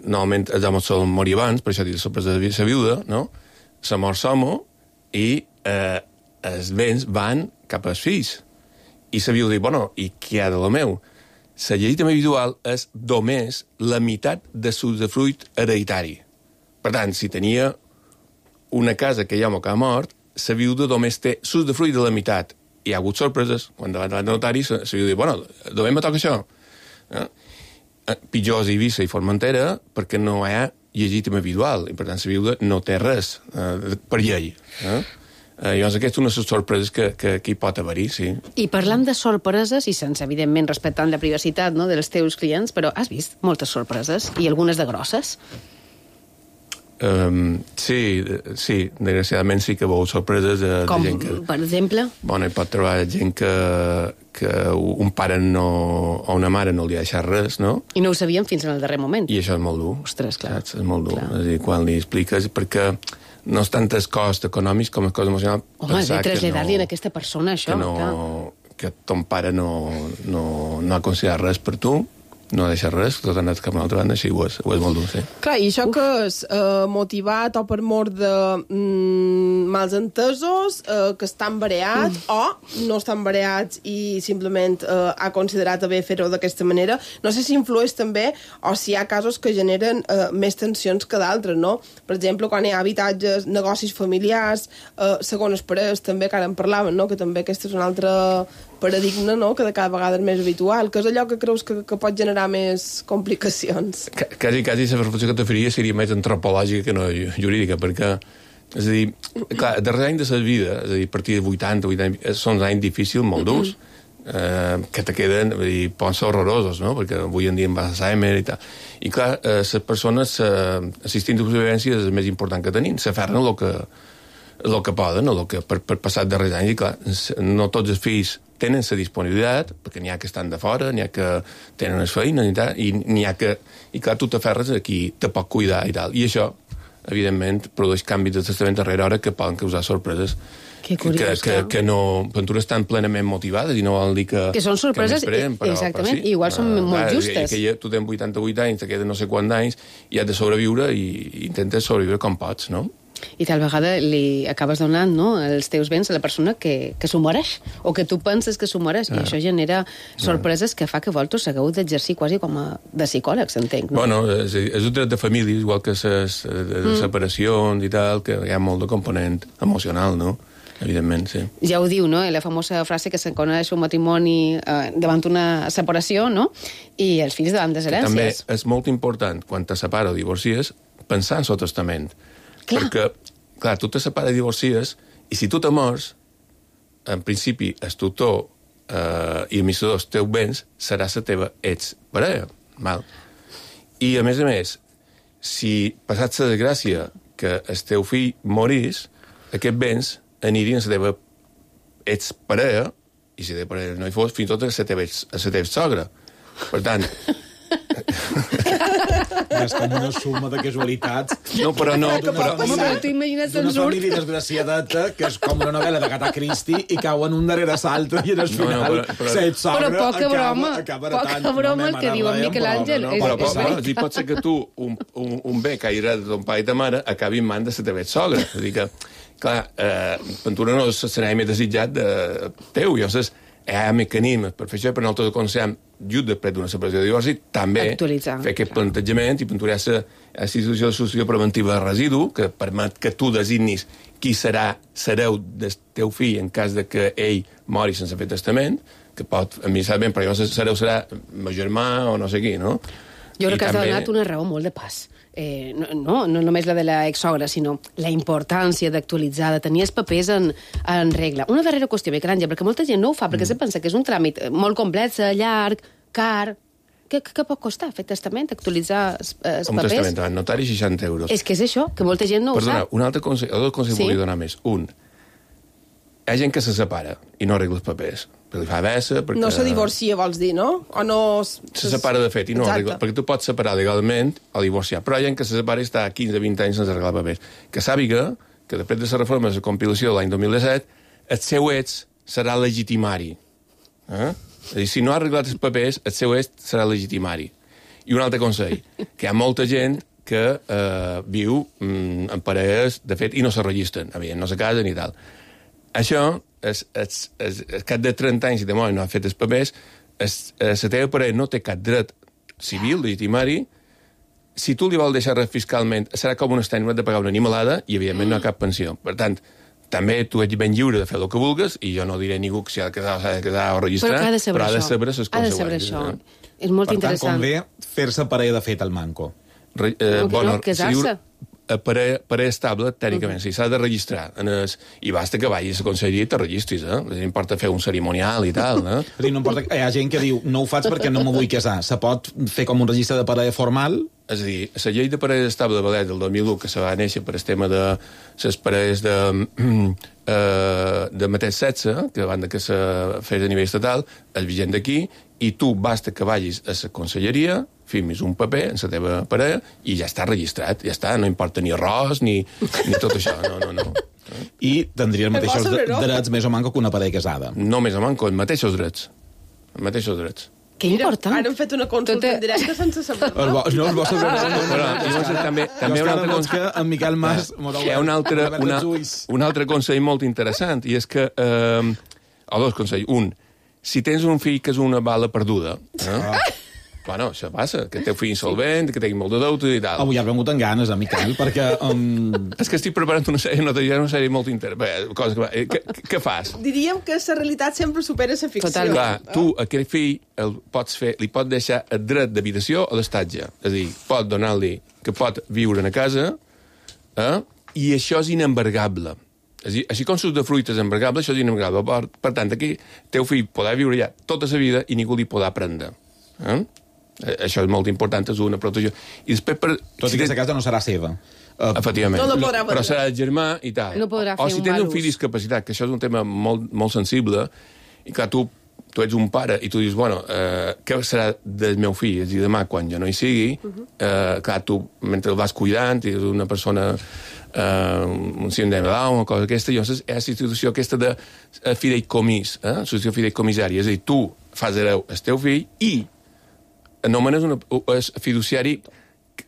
normalment els homes solen morir abans, per això dic la sorpresa de la viuda, no? Se mor l'home i els béns van cap als fills. I la viuda diu, bueno, i què hi ha de lo meu? La llei també individual és només la meitat de l'usdefruit hereditari. Per tant, si tenia una casa que hi ha que ha mort, la viuda només té l'usdefruit de la meitat. Hi ha hagut sorpreses. Quan davant del notari, la viuda diu, bueno, només me toca això. Pitjor és Eivissa i Formentera perquè no hi ha llegítima individual i, per tant, la viuda no té res per llei. Llavors, aquesta és una de les sorpreses que hi pot haver-hi, sí. I parlant de sorpreses, i sense, evidentment, respectant la privacitat dels teus clients, però has vist moltes sorpreses, i algunes de grosses? Sí, desgraciadament sí que veu sorpreses de gent que... Com, per exemple? Bueno, hi pot trobar gent que un pare o una mare no li ha deixat res, no? I no ho sabien fins en el darrer moment. I això és molt dur. Ostres, clar. És molt dur. És a dir, quan li expliques, perquè no és tant el cost econòmic com el cost emocional. Home, de traslladar-li a aquesta persona això. Que ton pare no ha considerat res per tu, no ha deixat res, tot ha anat cap a una altra banda, així ho és molt dur, sí. Clar, i això que és motivat o per mort de mals entesos, que estan bareats o no estan bareats i simplement ha considerat haver fer-ho d'aquesta manera. No sé si influeix també o si hi ha casos que generen més tensions que d'altres, no? Per exemple, quan hi ha habitatges, negocis familiars, segones parelles, també, que ara en parlaven, no? Que també aquesta és una altra paradigma, no?, que de cada vegada és més habitual, que és allò que creus que pot generar més complicacions. Quasi la reflexió que te faria seria més antropològica que no jurídica, perquè, és a dir, clar, el darrer any de la vida, és a dir, a partir de 80, són anys difícils, molt durs, que te queden, poden ser horrorosos, no?, perquè avui en dia em va Alzheimer i tal. I clar, les persones, l'assistint de supervivència és el més important que tenim, s'aferren el que poden, per passar els darrers anys, i clar, no tots els fills tenen la disponibilitat, perquè n'hi ha que estan de fora, n'hi ha que tenen les feines i tal, i n'hi ha que... I clar, tu t'aferres a qui te pot cuidar i tal. I això, evidentment, produeix canvis de testament darrere hora que poden causar sorpreses. Que curiós, que no... Aventures estan plenament motivades i no vol dir que... Que són sorpreses, exactament, i igual són molt justes. Que tu tens 88 anys, te queden no sé quants anys, i has de sobreviure i intentes sobreviure com pots, no? I tal vegada li acabes donant, no?, els teus béns a la persona que s'ho mereix, o que tu penses que s'ho mereix, i això genera sorpreses que fa que vosaltres hagueu d'exercir quasi com a de psicòlegs, entenc, no? Bueno, és un dret de família, igual que les separacions i tal, que hi ha molt de component emocional, no?, evidentment, sí. Ja ho diu, no?, la famosa frase que se coneix un matrimoni davant una separació, no?, i els fills davant les herències. També és molt important, quan te separa o divorcies, pensar en el testament. Clar. Perquè, clar, tu te separes i divorcies, i si tu te mors, en principi, el tutor i administrador dels teus béns serà la teva exparella. I, a més, si passat la desgràcia que el teu fill morís, aquests béns anirien a la teva exparella, i si la teva parella no hi fos, fins i tot a la teva sogra. Per tant... És com una suma de casualitats. No, però no... Home, t'ho imagines d'una família desgraciadeta, que és com una novel·la d'Agatha Christie, i cauen un darrere l'altre, i al final set sogra acaba heretant. Poca broma el que diu en Miquel Àngel. Però pot ser que tu, un bé que ha heretat de ton pare i ta mare, acabi en mans de la teva sogra. És a dir que, clar, Ventura no serà més desitjat teu, i llavors hi ha mecanismes per fer això, per nosaltres aconsellem, just després d'una separació de divorci, també fer aquest plantejament i puntuar la institució de solució preventiva de residu, que permet que tu designis qui serà hereu del teu fill en cas de que ell mori sense fer testament, que pot administrar ben, però llavors hereu serà meu germà o no sé qui, no? Jo crec que has donat una raó molt de pas. no només la de l'exsogra, sinó la importància d'actualitzar, de tenir els papers en regla. Una darrera qüestió, Miquel Àngel, perquè molta gent no ho fa, perquè se pensa que és un tràmit molt complex, llarg, car. Què pot costar fer testament, actualitzar els papers? Un testament davant notari, 60 euros. És que és això, que molta gent no ho sap. Perdona, un altre consell, dos consells volia donar més. Un, hi ha gent que se separa i no arregla els papers. Perquè li fa bessa, perquè... No se divorcia, vols dir, no? O no... Se separa de fet i no arregla. Perquè tu pots separar legalment o divorciar. Però hi ha gent que se separa i està 15-20 anys sense arreglar papers. Que sàpiga que després de la reforma de la compilació de l'any 2017, el seu ex serà legitimari. És a dir, si no ha arreglat els papers, el seu est serà legitimari. I un altre consell, que hi ha molta gent que viu en parelles, de fet, i no se registren, no se casen i tal. Això, al cap de 30 anys, si de moment no ha fet els papers, la teva parella no té cap dret civil, legitimari. Si tu li vols deixar res fiscalment, serà com un estany de pagar una animalada i, evidentment, no hi ha cap pensió. Per tant, també tu ets ben lliure de fer el que vulguis i jo no diré a ningú que s'ha de quedar o registrar, però ha de saber les conseqüències. És molt interessant. Per tant, convé fer-se parella de fet al manco. Casar-se. Parella estable, tècnicament, si s'ha de registrar. I basta que vagis a la conselleria i te registris, No importa fer un cerimonial i tal, no importa, hi ha gent que diu, no ho faig perquè no me vull casar. Se pot fer com un registre de parella formal? És a dir, la llei de parella estable de Vallet del 2001, que se va néixer per el tema de les parelles de mateix sexe, que abans que se fes a nivell estatal, és vigent d'aquí, i tu basta que vagis a la conselleria, firmis un paper en la teva parella i ja està registrat, ja està, no importa ni arròs ni tot això, no. I tindria els mateixos drets més o manco que una parella casada. No més o manco, els mateixos drets. Que important. Ara hem fet una consulta en directe sense saber. No els vostres També un altre consell... En Miquel Mas... Hi ha un altre consell molt interessant, i és que... O dos consells. Un, si tens un fill que és una bala perduda... Bueno, això passa, que teu fill insolvent, que tingui molt de deute i tal. Avui ja he vengut amb ganes, Miquel, perquè... És que estic preparant una sèrie molt interessant. Què fas? Diríem que la realitat sempre supera la ficció. Total. Clar, tu, aquell fill, li pots deixar el dret d'habitació o d'estatge. És a dir, pot donar-li que pot viure a casa, i això és inembargable. Així com l'usdefruit és embargable, això és inembargable. Per tant, aquí teu fill podrà viure ja tota la vida i ningú li podrà prendre. Això és molt important, és una protecció. I després, tot i que aquesta casa no serà seva. Efectivament. Però serà el germà i tal. No podrà fer o si tens un fill discapacitat, que això és un tema molt sensible, i clar, tu ets un pare i tu dius, bueno, què serà del meu fill? És a dir, demà, quan jo no hi sigui, clar, tu, mentre el vas cuidant, i és una persona un síndrome de Down o cosa aquesta, llavors és la institució aquesta de fideïcomís, l'associació fideïcomissària. És a dir, tu fas hereu el teu fill i anomenes un fiduciari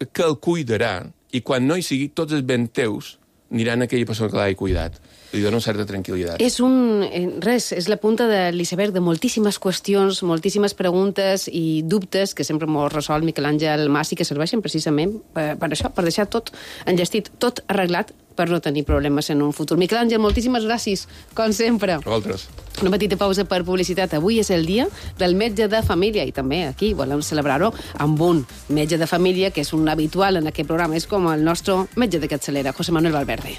que el cuidarà, i quan no hi sigui, tots els béns teus aniran a aquella persona que l'ha cuidat. Li dona una certa tranquil·litat. És la punta de l'iceberg de moltíssimes qüestions, moltíssimes preguntes i dubtes que sempre m'ho resol Miquel Àngel Mas i que serveixen precisament per això, per deixar tot enllestit, tot arreglat per no tenir problemes en un futur. Miquel Àngel, moltíssimes gràcies, com sempre. A vosaltres. Una petita pausa per publicitat. Avui és el dia del metge de família i també aquí volem celebrar-ho amb un metge de família que és un habitual en aquest programa. És com el nostre metge de capçalera, José Manuel Valverde.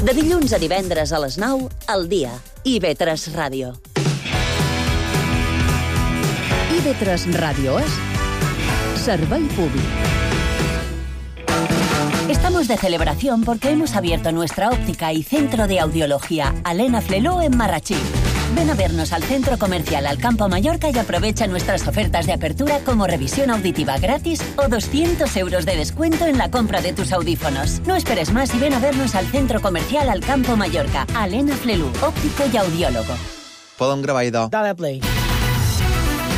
De dilluns a divendres a les 9, al dia. IB3 Ràdio. IB3 Ràdio és servei públic. Estamos de celebración porque hemos abierto nuestra óptica y centro de audiología Alena Fleló en Marrachí. Ven a vernos al Centro Comercial Alcampo Mallorca y aprovecha nuestras ofertas de apertura como revisión auditiva gratis o 200 euros de descuento en la compra de tus audífonos. No esperes más y ven a vernos al Centro Comercial Alcampo Mallorca. Alena Flelú, óptico y audiólogo. Podem gravar, idò. Dale play.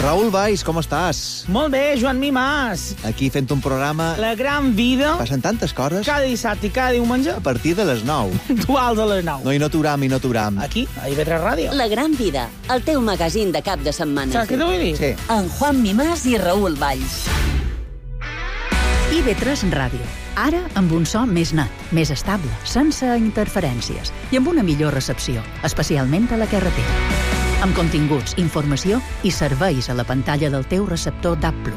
Raül Valls, com estàs? Molt bé, Joan Mimàs. Aquí fent un programa... La gran vida. Passen tantes coses. Cada dissabte i cada diumenge. A partir de les 9. Duals a les 9. No, i no t'uram. Aquí, a IB3 Ràdio. La gran vida, el teu magazín de cap de setmana. Saps què t'ho vull dir? Sí. En Juan Mimàs i Raül Valls. IB3 Ràdio. Ara amb un so més net, més estable, sense interferències i amb una millor recepció, especialment a la carretera. Amb continguts, informació i serveis a la pantalla del teu receptor DAB+.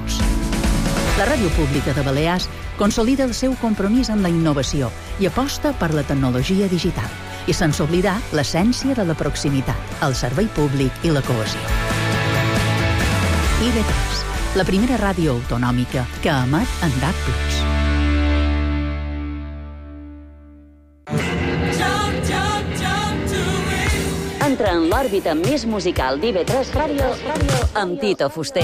La Ràdio Pública de Balears consolida el seu compromís amb la innovació i aposta per la tecnologia digital, i sense oblidar l'essència de la proximitat, el servei públic i la cohesió. IB3, la primera ràdio autonòmica que emet en DAB+. Entra en l'òrbita més musical d'IB3 Ràdio amb Tito Fuster.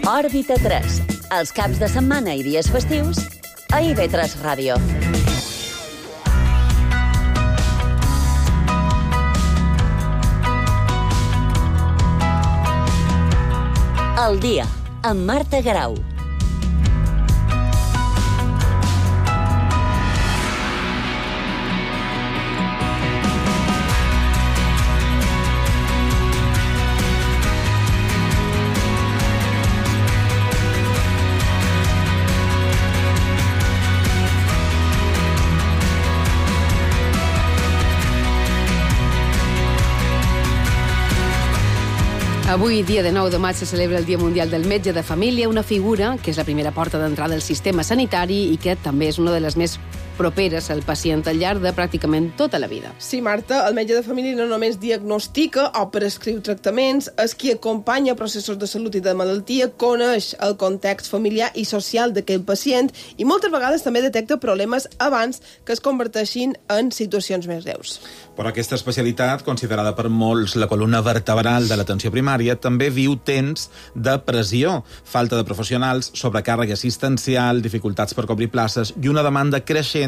Òrbita 3, els caps de setmana i dies festius a IB3 Ràdio. El dia, amb Marta Garau. Avui, dia de 9 de maig, se celebra el Dia Mundial del Metge de Família, una figura que és la primera porta d'entrada al sistema sanitari i que també és una de les més properes al pacient al llarg de pràcticament tota la vida. Sí, Marta, el metge de família no només diagnostica o prescriu tractaments, és qui acompanya processos de salut i de malaltia, coneix el context familiar i social d'aquell pacient i moltes vegades també detecta problemes abans que es converteixin en situacions més greus. Però aquesta especialitat, considerada per molts la columna vertebral de l'atenció primària, també viu temps de pressió, falta de professionals, sobrecàrrega assistencial, dificultats per cobrir places i una demanda creixent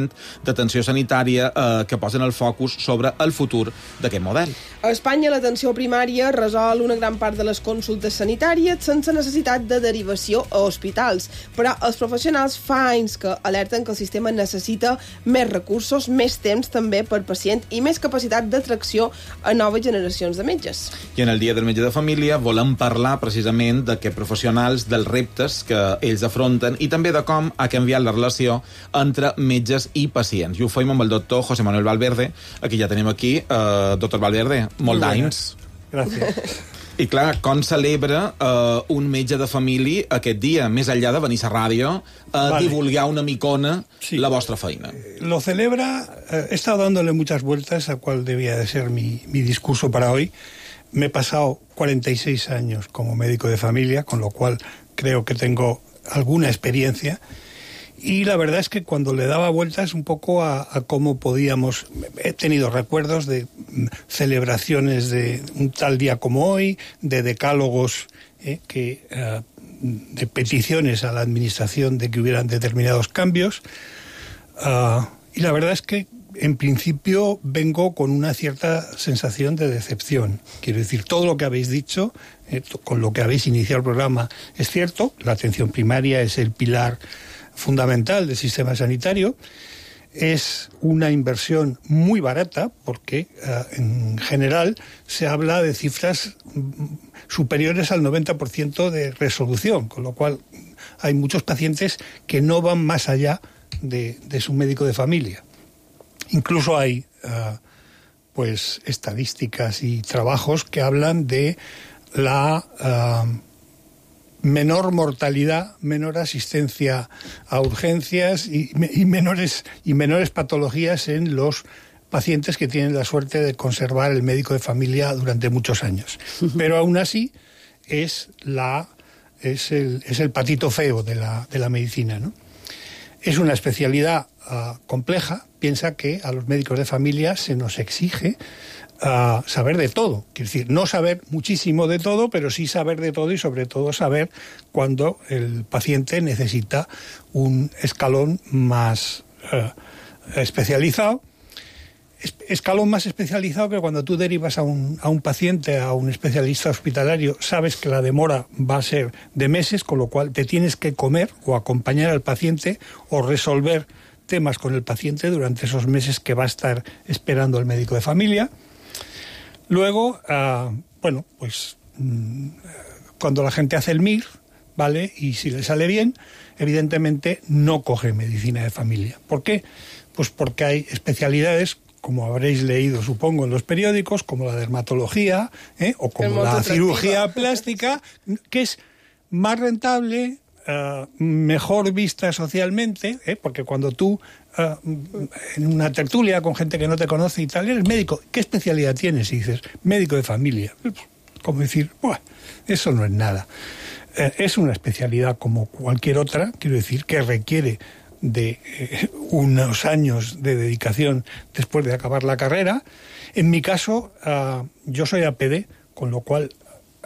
d'atenció sanitària que posen el focus sobre el futur d'aquest model. A Espanya, l'atenció primària resol una gran part de les consultes sanitàries sense necessitat de derivació a hospitals, però els professionals fa anys que alerten que el sistema necessita més recursos, més temps també per pacient i més capacitat d'atracció a noves generacions de metges. I en el Dia del Metge de Família volem parlar precisament d'aquests professionals, dels reptes que ells afronten i també de com ha canviat la relació entre metges i pacients. I ho fem amb el doctor José Manuel Valverde, aquí ja tenim aquí. Doctor Valverde, molt d'anys. Gràcies. I clar, com celebra un metge de família aquest dia, més enllà de venir a la ràdio a divulgar una micona la vostra feina? Lo celebra, he estado dándole muchas vueltas a cuál debía de ser mi discurso para hoy. Me he pasado 46 años como médico de familia, con lo cual creo que tengo alguna experiencia. Y la verdad es que cuando le daba vueltas un poco a cómo podíamos... He tenido recuerdos de celebraciones de un tal día como hoy, de decálogos, de peticiones a la administración de que hubieran determinados cambios. Y la verdad es que en principio vengo con una cierta sensación de decepción. Quiero decir, todo lo que habéis dicho, con lo que habéis iniciado el programa, es cierto. La atención primaria es el pilar fundamental del sistema sanitario. Es una inversión muy barata porque en general se habla de cifras superiores al 90% de resolución, con lo cual hay muchos pacientes que no van más allá de su médico de familia. Incluso hay pues estadísticas y trabajos que hablan de la menor mortalidad, menor asistencia a urgencias y menores patologías en los pacientes que tienen la suerte de conservar el médico de familia durante muchos años. Pero aún así es el patito feo de la medicina, ¿no? Es una especialidad compleja. Piensa que a los médicos de familia se nos exige saber de todo. Quiero decir, no saber muchísimo de todo, pero sí saber de todo y sobre todo saber cuando el paciente necesita un escalón más especializado. Escalón más especializado que cuando tú derivas a un paciente a un especialista hospitalario, sabes que la demora va a ser de meses, con lo cual te tienes que comer o acompañar al paciente o resolver temas con el paciente durante esos meses que va a estar esperando el médico de familia. Luego, cuando la gente hace el MIR, ¿vale? Y si le sale bien, evidentemente no coge medicina de familia. ¿Por qué? Pues porque hay especialidades, como habréis leído, supongo, en los periódicos, como la dermatología, o como la cirugía plástica, que es más rentable, mejor vista socialmente, porque cuando tú, en una tertulia con gente que no te conoce y tal, eres médico, ¿qué especialidad tienes? Y dices, médico de familia. Como decir, bueno, eso no es nada. Es una especialidad como cualquier otra, quiero decir, que requiere de unos años de dedicación después de acabar la carrera. En mi caso, yo soy APD, con lo cual,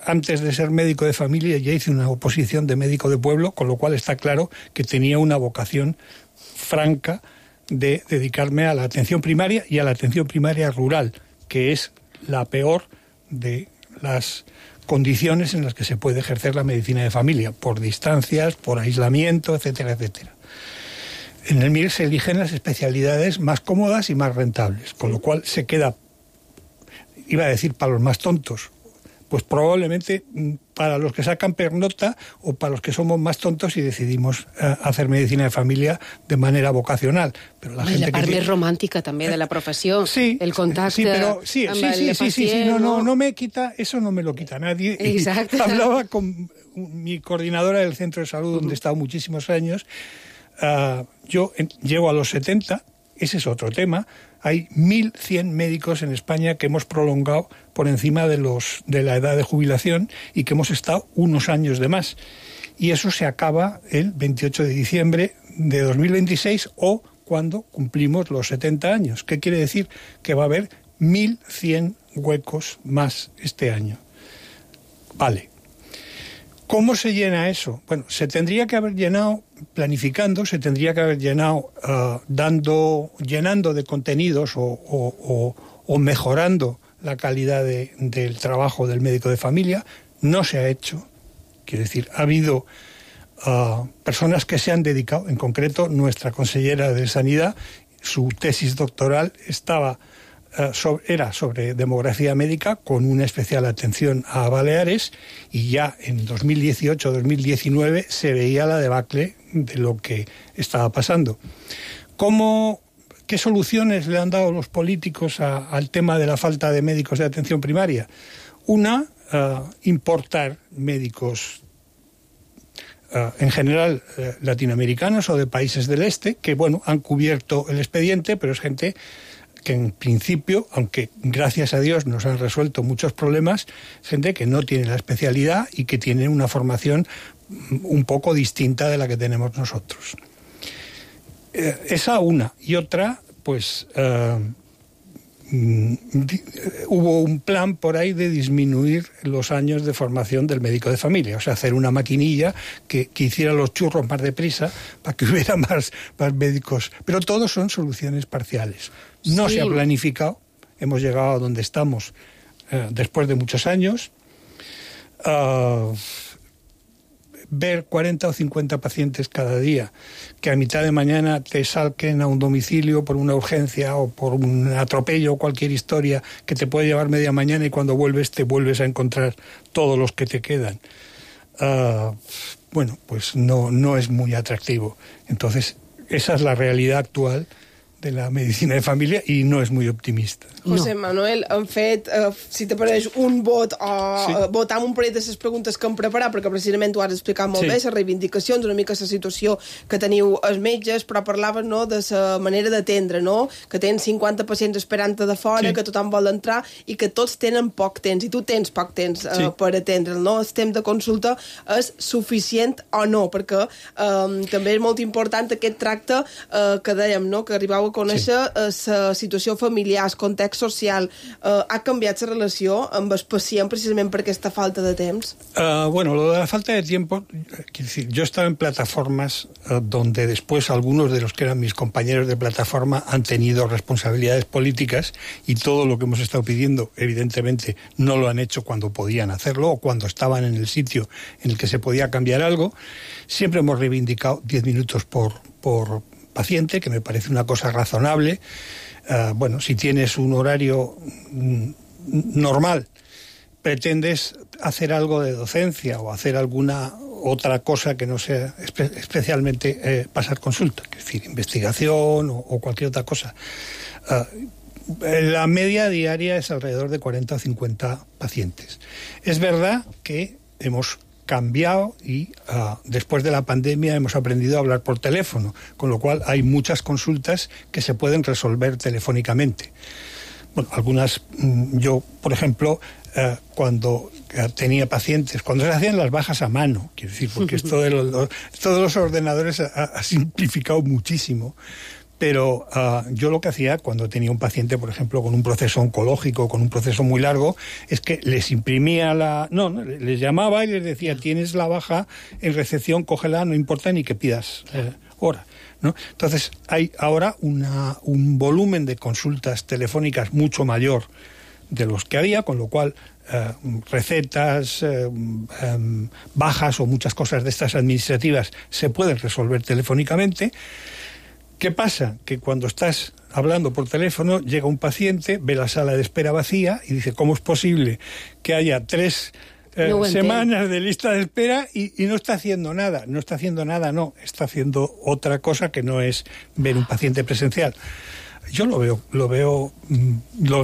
antes de ser médico de familia, ya hice una oposición de médico de pueblo, con lo cual está claro que tenía una vocación franca de dedicarme a la atención primaria y a la atención primaria rural, que es la peor de las condiciones en las que se puede ejercer la medicina de familia, por distancias, por aislamiento, etcétera, etcétera. En el MIR se eligen las especialidades más cómodas y más rentables, con lo cual se queda, iba a decir, para los más tontos, pues probablemente para los que sacan pernota o para los que somos más tontos y decidimos hacer medicina de familia de manera vocacional. Però la gent la part més romàntica també de la professió, el contacte amb el pacient. No me quita, eso no me lo quita nadie. Exacto. Hablaba con mi coordinadora del centro de salud, donde he estado muchísimos años. Yo llego a los 70, ese es otro tema. Hay 1.100 médicos en España que hemos prolongado por encima de la edad de jubilación y que hemos estado unos años de más. Y eso se acaba el 28 de diciembre de 2026 o cuando cumplimos los 70 años. ¿Qué quiere decir? Que va a haber 1.100 huecos más este año. Vale. ¿Cómo se llena eso? Bueno, se tendría que haber llenado planificando, se tendría que haber llenado llenando de contenidos o mejorando la calidad del trabajo del médico de familia. No se ha hecho. Quiero decir, ha habido personas que se han dedicado, en concreto nuestra consellera de Sanidad, su tesis doctoral era sobre demografía médica con una especial atención a Baleares, y ya en 2018-2019 se veía la debacle de lo que estaba pasando. ¿Qué soluciones le han dado los políticos al tema de la falta de médicos de atención primaria? Una, importar médicos en general latinoamericanos o de países del este, que bueno, han cubierto el expediente, pero es gente que en principio, aunque gracias a Dios nos han resuelto muchos problemas, gente que no tiene la especialidad y que tiene una formación un poco distinta de la que tenemos nosotros. Esa una. Y otra, pues hubo un plan por ahí de disminuir los años de formación del médico de familia, o sea, hacer una maquinilla que hiciera los churros más deprisa para que hubiera más médicos. Pero todos son soluciones parciales. No se ha planificado, hemos llegado a donde estamos después de muchos años. Ver 40 o 50 pacientes cada día que a mitad de mañana te salquen a un domicilio por una urgencia o por un atropello o cualquier historia que te puede llevar media mañana, y cuando vuelves te vuelves a encontrar todos los que te quedan. Bueno, pues no es muy atractivo. Entonces, esa es la realidad actual de la medicina de família i no és molt optimista. José Manuel, hem fet, si t'apareix un vot o votar amb un parell de les preguntes que hem preparat, perquè precisament ho has explicat molt bé, les reivindicacions, una mica la situació que teniu els metges, però parlaves de la manera d'atendre, que tens 50 pacients esperant de fora, que tothom vol entrar i que tots tenen poc temps, i tu tens poc temps per atendre'l, no? El temps de consulta és suficient o no, perquè també és molt important aquest tracte que dèiem, que arribau a conèixer la situació familiar, el context social. Ha canviat la relació amb el pacient precisament per aquesta falta de temps? Bueno, lo de la falta de tiempo, quiero decir, yo he estado en plataformas donde después algunos de los que eran mis compañeros de plataforma han tenido responsabilidades políticas, y todo lo que hemos estado pidiendo, evidentemente, no lo han hecho cuando podían hacerlo o cuando estaban en el sitio en el que se podía cambiar algo. Siempre hemos reivindicado 10 minutos por paciente, que me parece una cosa razonable. Bueno, si tienes un horario normal, pretendes hacer algo de docencia o hacer alguna otra cosa que no sea especialmente pasar consulta, es decir, investigación o cualquier otra cosa. La media diaria es alrededor de 40 o 50 pacientes. Es verdad que hemos cambiado y después de la pandemia hemos aprendido a hablar por teléfono, con lo cual hay muchas consultas que se pueden resolver telefónicamente. Bueno, algunas, yo, por ejemplo, cuando tenía pacientes, cuando se hacían las bajas a mano, quiero decir, porque esto de todos los ordenadores ha simplificado muchísimo, pero yo lo que hacía cuando tenía un paciente, por ejemplo, con un proceso oncológico, con un proceso muy largo, es que les imprimía les llamaba y les decía, tienes la baja en recepción, cógela, no importa ni que pidas hora, ¿no? Entonces, hay ahora un volumen de consultas telefónicas mucho mayor de los que había, con lo cual recetas, bajas o muchas cosas de estas administrativas se pueden resolver telefónicamente. ¿Qué pasa? Que cuando estás hablando por teléfono, llega un paciente, ve la sala de espera vacía y dice, ¿cómo es posible que haya 3 semanas de lista de espera y no está haciendo nada? No está haciendo nada, no. Está haciendo otra cosa que no es ver un paciente presencial. Yo lo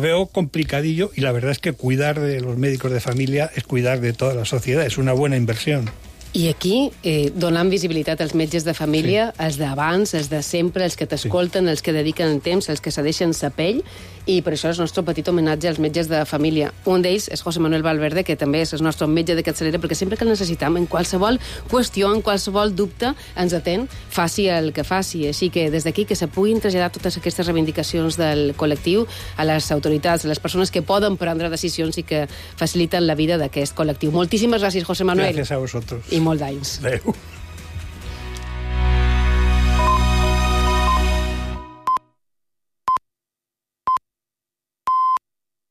veo complicadillo, y la verdad es que cuidar de los médicos de familia es cuidar de toda la sociedad, es una buena inversión. I aquí, donant visibilitat als metges de família, els d'abans, els de sempre, els que t'escolten, els que dediquen el temps, els que cedeixen sa pell, i per això és el nostre petit homenatge als metges de família. Un d'ells és José Manuel Valverde, que també és el nostre metge de capçalera, perquè sempre que el necessitam, en qualsevol qüestió, en qualsevol dubte, ens atén, faci el que faci. Així que des d'aquí que se puguin traslladar totes aquestes reivindicacions del col·lectiu a les autoritats, a les persones que poden prendre decisions i que faciliten la vida d'aquest col·lectiu. Moltíssimes gràcies, José Manuel. Gràcies a vosaltres. I molt d'anys. Adéu.